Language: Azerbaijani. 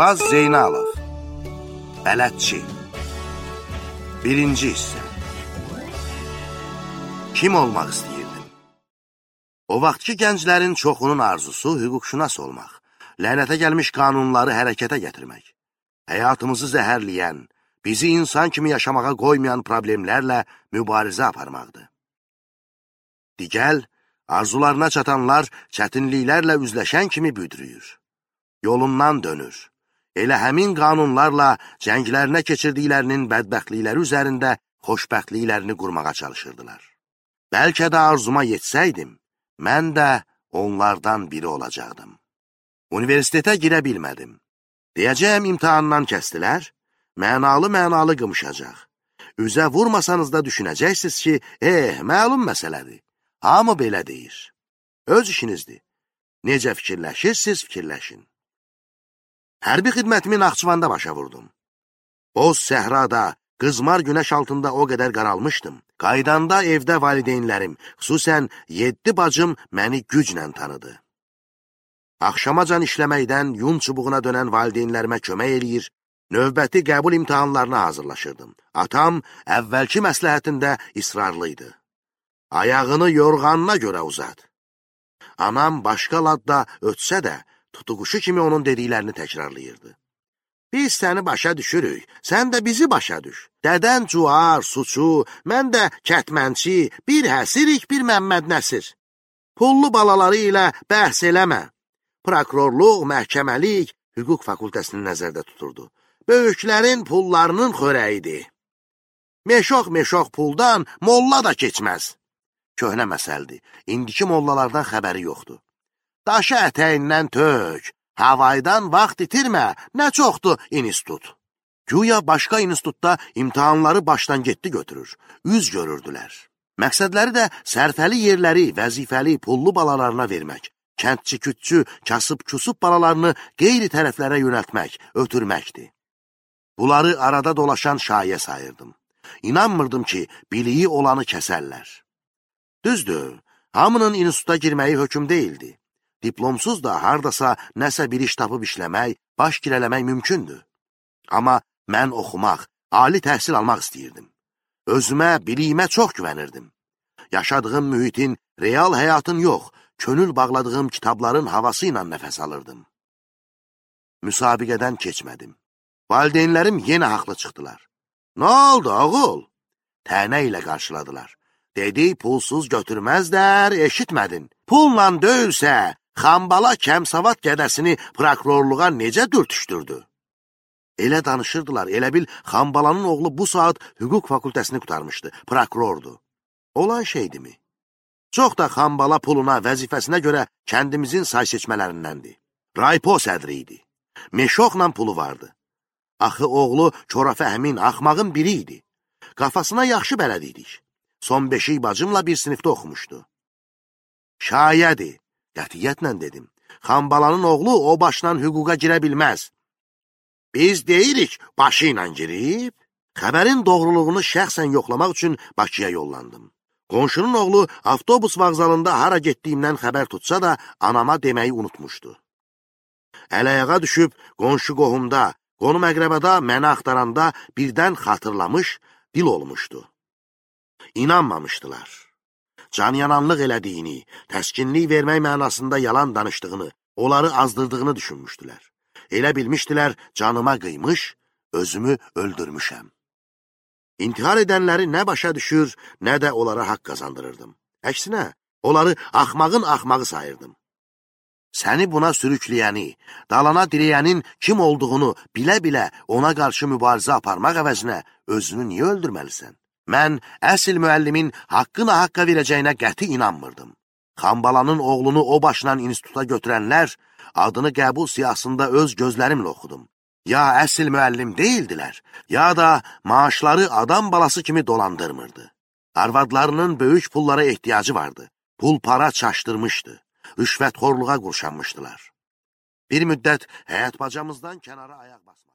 Şahbaz Zeynalov Bələdçi 1-ci hissə. Kim olmaq istəyirdim? O vaxtki gənclərin çoxunun arzusu hüquqşünas olmaq, lənətə gəlmiş qanunları hərəkətə gətirmək, həyatımızı zəhərləyən, bizi insan kimi yaşamağa qoymayan problemlərlə mübarizə aparmaqdır. Digəl, arzularına çatanlar çətinliklərlə üzləşən kimi büdrüyür. Yolundan dönür. Elə həmin qanunlarla cənglərinə keçirdiklərinin bədbəxtlikləri üzərində xoşbəxtliklərini qurmağa çalışırdılar. Bəlkə də arzuma yetsəydim, mən də onlardan biri olacaqdım. Universitetə girə bilmədim. Deyəcəyəm imtahandan kəstilər, mənalı qımışacaq. Üzə vurmasanız da düşünəcəksiniz ki, məlum məsələdir. Hamı belə deyir. Öz işinizdir. Necə fikirləşirsiniz, fikirləşin. Hərbi xidmətimi Naxçıvanda başa vurdum. Boz səhrada, qızmar günəş altında o qədər qaralmışdım. Qaydanda evdə valideynlərim, xüsusən 7 bacım məni güclə tanıdı. Axşamacan işləməkdən yun çubuğuna dönən valideynlərimə kömək eləyir, növbəti qəbul imtahanlarına hazırlaşırdım. Atam əvvəlki məsləhətində israrlıydı. Ayağını yorğanına görə uzat. Anam başqa ladda ötsə də, tutuquşu kimi onun dediklərini təkrarlayırdı. Biz səni başa düşürük, sən də bizi başa düş. Dədən Cuar, Suçu, mən də Kətmənçi, bir Həsirik, bir Məmməd Nəsir. Pullu balaları ilə bəhs eləmə. Prokurorluq, məhkəməlik, hüquq fakültəsini nəzərdə tuturdu. Böyüklərin pullarının xörəyidir. Meşox puldan molla da keçməz. Köhnə məsəldir, indiki mollalardan xəbəri yoxdur. Daşı ətəyindən tök, havaydan vaxt itirmə, nə çoxdur institut. Güya başqa institutda imtahanları başdan getdi götürür, üz görürdülər. Məqsədləri də sərfəli yerləri vəzifəli pullu balalarına vermək, kəndçi-kütçü, kasıb-kusub balalarını qeyri tərəflərə yönəltmək, ötürməkdir. Bunları arada dolaşan şayə sayırdım. İnanmırdım ki, biliyi olanı kəsərlər. Düzdür, hamının instituta girməyi hökm deyildi. Diplomsuz da hardasa nəsə bir iş tapıb işləmək, baş girələmək mümkündür. Amma mən oxumaq, ali təhsil almaq istəyirdim. Özümə, biliyimə çox güvənirdim. Yaşadığım mühitin, real həyatın yox, könül bağladığım kitabların havası ilə nəfəs alırdım. Müsabiqədən keçmədim. Valideynlərim yenə haqlı çıxdılar. Nə oldu, oğul? Tənə ilə qarşıladılar. Dedi, pulsuz götürməzlər, eşitmədin. Pulla döyülsə, Xambala Kəmsavat gədəsini prokurorluğa necə dürtüşdürdü? Elə danışırdılar, elə bil Xambalanın oğlu bu saat hüquq fakültəsini qutarmışdı, prokurordu. Olan şeydimi? Çox da Xambala puluna, vəzifəsinə görə kəndimizin say seçmələrindəndir. Raypo sədri idi. Meşoxla pulu vardı. Axı oğlu Korafə Əmin axmağın biri idi. Qafasına yaxşı bələd idik. Son 5 bacımla bir sinifdə oxumuşdu. Şayədir, qətiyyətlə dedim. Xambalanın oğlu o başla hüquqa girə bilməz. Biz deyirik, başı ilə girib. Xəbərin doğruluğunu şəxsən yoxlamaq üçün Bakıya yollandım. Qonşunun oğlu avtobus vağzalında hara getdiyimdən xəbər tutsa da anama deməyi unutmuşdu. Əl-ayağa düşüb qonşu qohumda, qonum əqrəbada məni axtaranda birdən xatırlamış, dil olmuşdu. İnanmamışdılar. Canyananlıq elədiyini, təskinlik vermək mənasında yalan danışdığını, onları azdırdığını düşünmüşdülər. Elə bilmişdilər, canıma qıymış, özümü öldürmüşəm. İntihar edənləri nə başa düşür, nə də onlara haqq qazandırırdım. Əksinə, onları axmağın axmağı sayırdım. Səni buna sürükləyəni, dalana dirəyənin kim olduğunu bilə-bilə ona qarşı mübarizə aparmaq əvəzinə özünü niyə öldürməlisən? Mən əsl müəllimin haqqına haqqa verəcəyinə qəti inanmırdım. Xambalanın oğlunu o başla instituta götürənlər adını qəbul siyasında öz gözlərimlə oxudum. Ya əsl müəllim deyildilər, ya da maaşları adam balası kimi dolandırmırdı. Arvadlarının böyük pullara ehtiyacı vardı. Pul para çaşdırmışdı. Rüşvətxorluğa qurşanmışdılar. Bir müddət həyat bacamızdan kənara ayaq basmadı.